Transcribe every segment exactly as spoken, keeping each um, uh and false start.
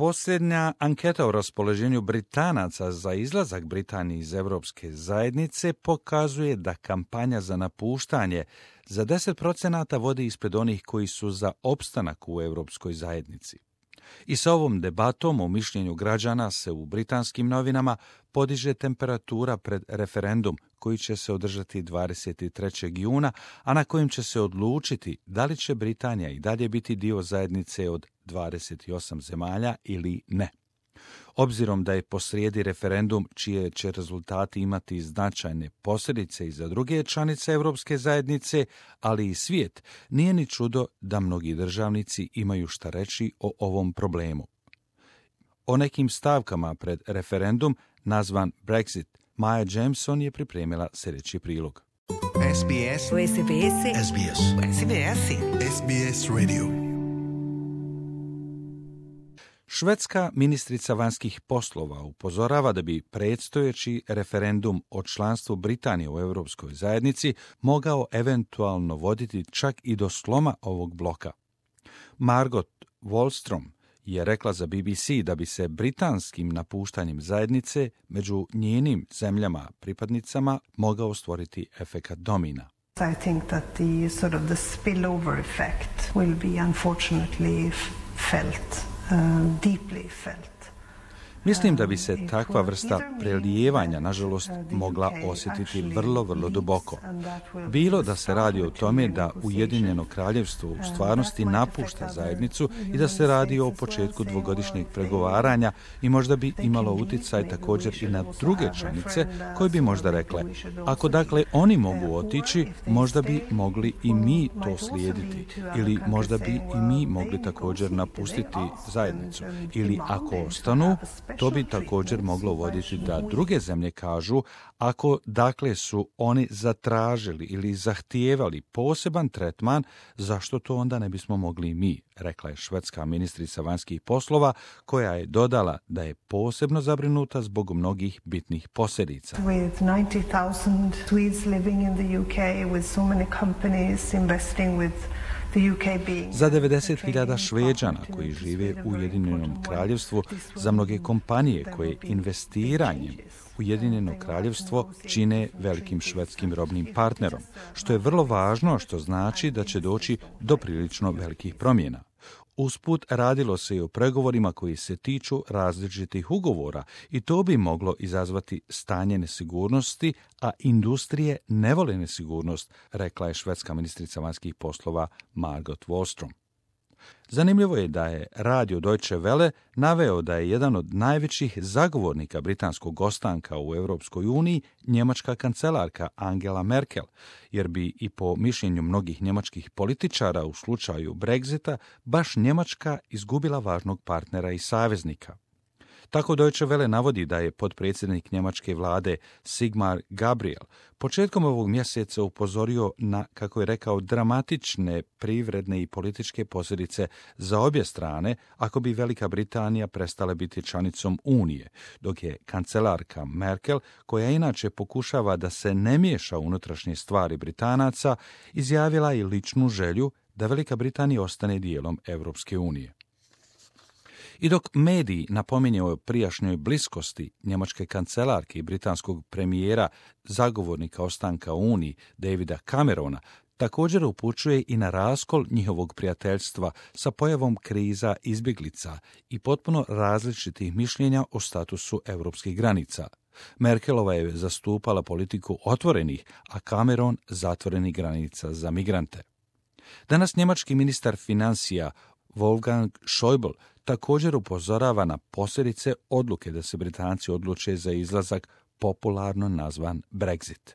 Posljednja anketa o raspoloženju Britanaca za izlazak Britanije iz Europske zajednice pokazuje da kampanja za napuštanje za deset procenata vodi ispred onih koji su za opstanak u Europskoj zajednici. I sa ovom debatom o mišljenju građana se u britanskim novinama podiže temperatura pred referendum koji će se održati dvadeset trećeg juna, a na kojem će se odlučiti da li će Britanija i dalje biti dio zajednice od dvadeset osam zemalja ili ne. Obzirom da je posrijedi referendum čije će rezultati imati značajne posljedice i za druge članice Europske zajednice, ali i svijet, nije ni čudo da mnogi državnici imaju šta reći o ovom problemu. O nekim stavkama pred referendum, nazvan Brexit, Maja Jameson je pripremila sljedeći prilog. S B S. S B S. S B S. S B S. S B S Radio. Švedska ministrica vanjskih poslova upozorava da bi predstojeći referendum o članstvu Britanije u Europskoj zajednici mogao eventualno voditi čak i do sloma ovog bloka. Margot Wallström je rekla za B B C da bi se britanskim napuštanjem zajednice među njenim zemljama pripadnicama mogao stvoriti efekat domina. I think that the sort of the spillover effect will be unfortunately felt. Uh, deeply felt. Mislim da bi se takva vrsta prelijevanja, nažalost, mogla osjetiti vrlo, vrlo duboko. Bilo da se radi o tome da Ujedinjeno kraljevstvo u stvarnosti napušta zajednicu i da se radi o početku dvogodišnjeg pregovaranja i možda bi imalo utjecaj također i na druge članice koje bi možda rekle, ako dakle oni mogu otići, možda bi mogli i mi to slijediti ili možda bi i mi mogli također napustiti zajednicu ili ako ostanu, to bi također moglo voditi da druge zemlje kažu, ako dakle su oni zatražili ili zahtijevali poseban tretman, zašto to onda ne bismo mogli mi, rekla je švedska ministrica vanjskih poslova, koja je dodala da je posebno zabrinuta zbog mnogih bitnih posljedica. With ninety thousand Swedes living in the U K, with so many companies investing with Za devedeset hiljada Šveđana koji žive u Ujedinjenom kraljevstvu, za mnoge kompanije koje investiranjem Ujedinjeno kraljevstvo čine velikim švedskim robnim partnerom, što je vrlo važno, što znači da će doći do prilično velikih promjena. Usput radilo se i o pregovorima koji se tiču različitih ugovora i to bi moglo izazvati stanje nesigurnosti, a industrije ne vole nesigurnost, rekla je švedska ministrica vanjskih poslova Margot Wallström. Zanimljivo je da je radio Deutsche Welle naveo da je jedan od najvećih zagovornika britanskog ostanka u Europskoj uniji njemačka kancelarka Angela Merkel, jer bi i po mišljenju mnogih njemačkih političara u slučaju Brexita baš Njemačka izgubila važnog partnera i saveznika. Tako Deutsche Welle navodi da je potpredsjednik njemačke vlade Sigmar Gabriel početkom ovog mjeseca upozorio na, kako je rekao, dramatične privredne i političke posljedice za obje strane ako bi Velika Britanija prestala biti članicom Unije, dok je kancelarka Merkel, koja inače pokušava da se ne miješa u unutrašnje stvari Britanaca, izjavila i ličnu želju da Velika Britanija ostane dijelom Europske unije. I dok mediji napominju o prijašnjoj bliskosti njemačke kancelarke i britanskog premijera, zagovornika ostanka u Uniji, Davida Camerona, također upućuje i na raskol njihovog prijateljstva sa pojavom kriza izbjeglica i potpuno različitih mišljenja o statusu europskih granica. Merkelova je zastupala politiku otvorenih, a Cameron zatvorenih granica za migrante. Danas njemački ministar financija Wolfgang Schäuble također upozorava na posljedice odluke da se Britanci odluče za izlazak, popularno nazvan Brexit.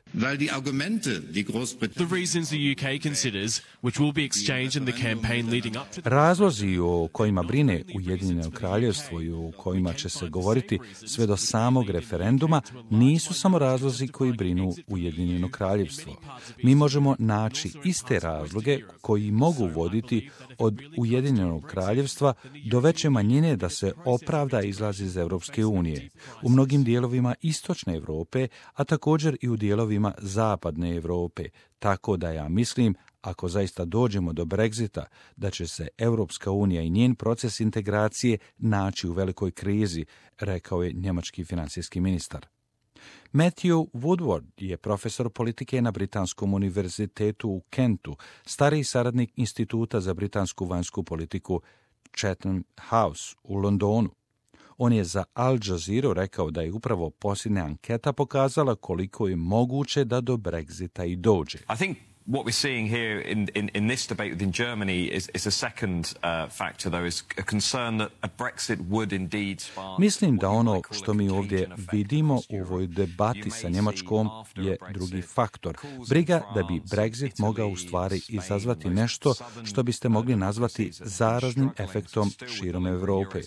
Razlozi o kojima brine Ujedinjeno kraljevstvo i o kojima će se govoriti sve do samog referenduma nisu samo razlozi koji brinu Ujedinjeno kraljevstvo. Mi možemo naći iste razloge koji mogu voditi od Ujedinjenog kraljevstva do veće manjine da se opravda izlaz iz Europske unije. U mnogim dijelovima istočne Europe, a također i u dijelovima zapadne Europe, tako da ja mislim, ako zaista dođemo do Brexita, da će se Europska unija i njen proces integracije naći u velikoj krizi, rekao je njemački finansijski ministar. Matthew Woodward je profesor politike na Britanskom univerzitetu u Kentu, stariji saradnik Instituta za britansku vanjsku politiku Chatham House u Londonu. On je za Al Jazeera rekao da je upravo posljednja anketa pokazala koliko je moguće da do Brexita i dođe. I think what we're seeing here in, in, in this debate within Germany is, is a second uh, factor, though, is a concern that a Brexit would indeed spark... Mislim da ono što mi ovdje vidimo u ovoj debati sa Njemačkom je drugi faktor. Briga da bi Brexit mogao u stvari izazvati nešto što biste mogli nazvati zaraznim efektom širom Europe.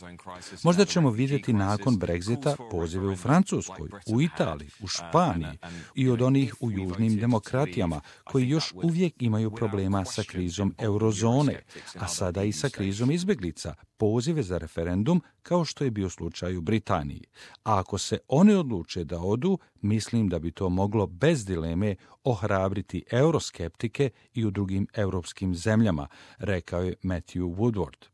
Možda ćemo vidjeti nakon Brexita pozive u Francuskoj, u Italiji, u Španiji i od onih u južnim demokratijama koji još uvijek imaju problema sa krizom eurozone, a sada i sa krizom izbjeglica, pozive za referendum kao što je bio slučaj u Britaniji. A ako se oni odluče da odu, mislim da bi to moglo bez dileme ohrabriti euroskeptike i u drugim europskim zemljama, rekao je Matthew Woodward.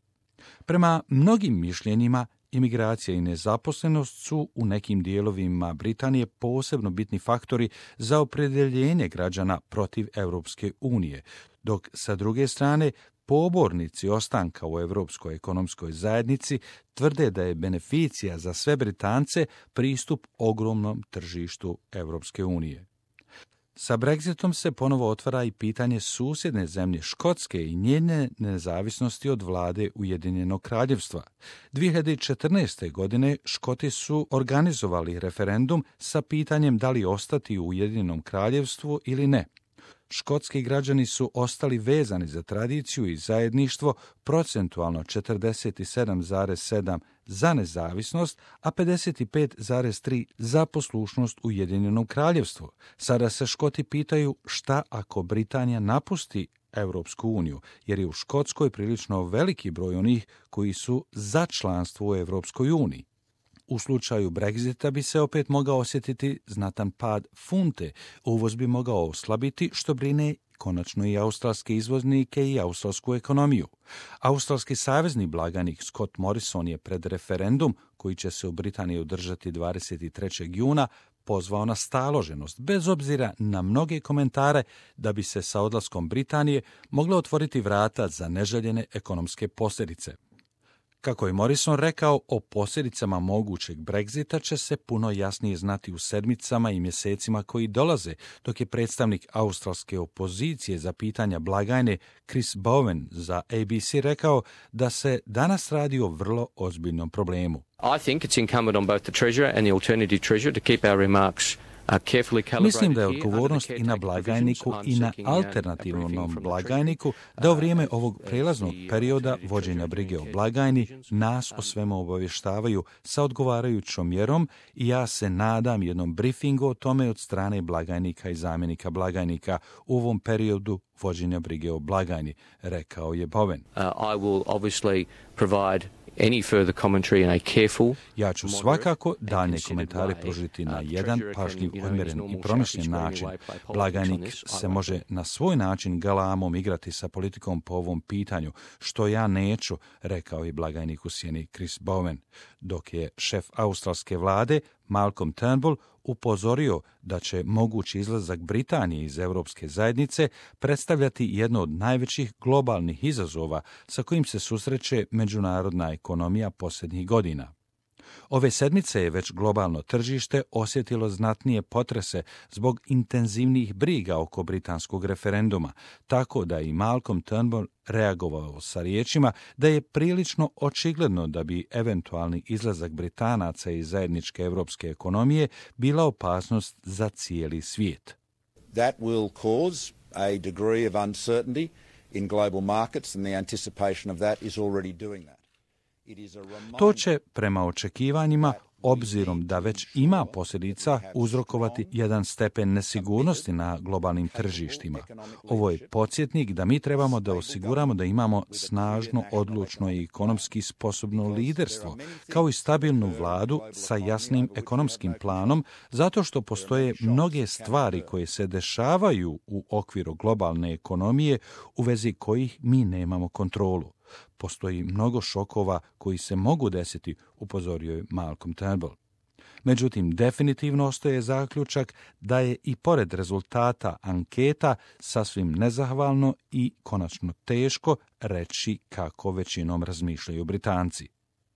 Prema mnogim mišljenjima, imigracija i nezaposlenost su u nekim dijelovima Britanije posebno bitni faktori za opredjeljenje građana protiv Europske unije, dok sa druge strane pobornici ostanka u Europskoj ekonomskoj zajednici tvrde da je beneficija za sve Britance pristup ogromnom tržištu Europske unije. Sa Brexitom se ponovo otvara i pitanje susjedne zemlje Škotske i njene nezavisnosti od vlade Ujedinjenog kraljevstva. dvije hiljade četrnaeste. godine Škoti su organizovali referendum sa pitanjem da li ostati u Ujedinjenom kraljevstvu ili ne. Škotski građani su ostali vezani za tradiciju i zajedništvo, procentualno četrdeset sedam zarez sedam za nezavisnost, a pedeset pet zarez tri za poslušnost Ujedinjenom kraljevstvu. Sada se Škoti pitaju šta ako Britanija napusti Europsku uniju, jer je u Škotskoj prilično veliki broj onih koji su za članstvo u Europskoj uniji. U slučaju Brexita bi se opet mogao osjetiti znatan pad funte, uvoz bi mogao oslabiti, što brine konačno i australske izvoznike i australsku ekonomiju. Australski savezni blagajnik Scott Morrison je pred referendum, koji će se u Britaniji održati dvadeset trećeg juna, pozvao na staloženost, bez obzira na mnoge komentare da bi se sa odlaskom Britanije mogla otvoriti vrata za neželjene ekonomske posljedice. Kako je Morrison rekao, o posljedicama mogućeg Brexita će se puno jasnije znati u sedmicama i mjesecima koji dolaze, dok je predstavnik australske opozicije za pitanja blagajne Chris Bowen za A B C rekao da se danas radi o vrlo ozbiljnom problemu. I think it's incumbent on both the Treasurer and the Alternative Treasurer to keep our remarks Mislim da je odgovornost i na blagajniku i na alternativnom blagajniku da u vrijeme ovog prelaznog perioda vođenja brige o blagajni nas o svemu obavještavaju sa odgovarajućom mjerom i ja se nadam jednom briefingu o tome od strane blagajnika i zamjenika blagajnika u ovom periodu vođenja brige o blagajni, rekao je Bowen. Uh, I will obviously provide any further commentary in a careful, ja ću svakako daljnje komentare pružiti na jedan pažljiv, odmjeren i promišljen način. Blagajnik se može na svoj način galamom igrati sa politikom po ovom pitanju, što ja neću, rekao je blagajnik u sjeni Chris Bowen, dok je šef australske vlade Malcolm Turnbull upozorio da će mogući izlazak Britanije iz Europske zajednice predstavljati jedno od najvećih globalnih izazova sa kojim se susreće međunarodna ekonomija posljednjih godina. Ove sedmice je već globalno tržište osjetilo znatnije potrese zbog intenzivnih briga oko britanskog referenduma, tako da i Malcolm Turnbull reagovao sa riječima da je prilično očigledno da bi eventualni izlazak Britanaca iz zajedničke europske ekonomije bila opasnost za cijeli svijet. That will cause a degree of uncertainty in global markets and the anticipation of that is already doing that. To će, prema očekivanjima, obzirom da već ima posljedica uzrokovati jedan stepen nesigurnosti na globalnim tržištima. Ovo je podsjetnik da mi trebamo da osiguramo da imamo snažno, odlučno i ekonomski sposobno liderstvo, kao i stabilnu vladu sa jasnim ekonomskim planom, zato što postoje mnoge stvari koje se dešavaju u okviru globalne ekonomije u vezi kojih mi nemamo kontrolu. Postoji mnogo šokova koji se mogu desiti, upozorio je Malcolm Turnbull. Međutim, definitivno ostaje zaključak da je i pored rezultata anketa sasvim nezahvalno i konačno teško reći kako većinom razmišljaju Britanci.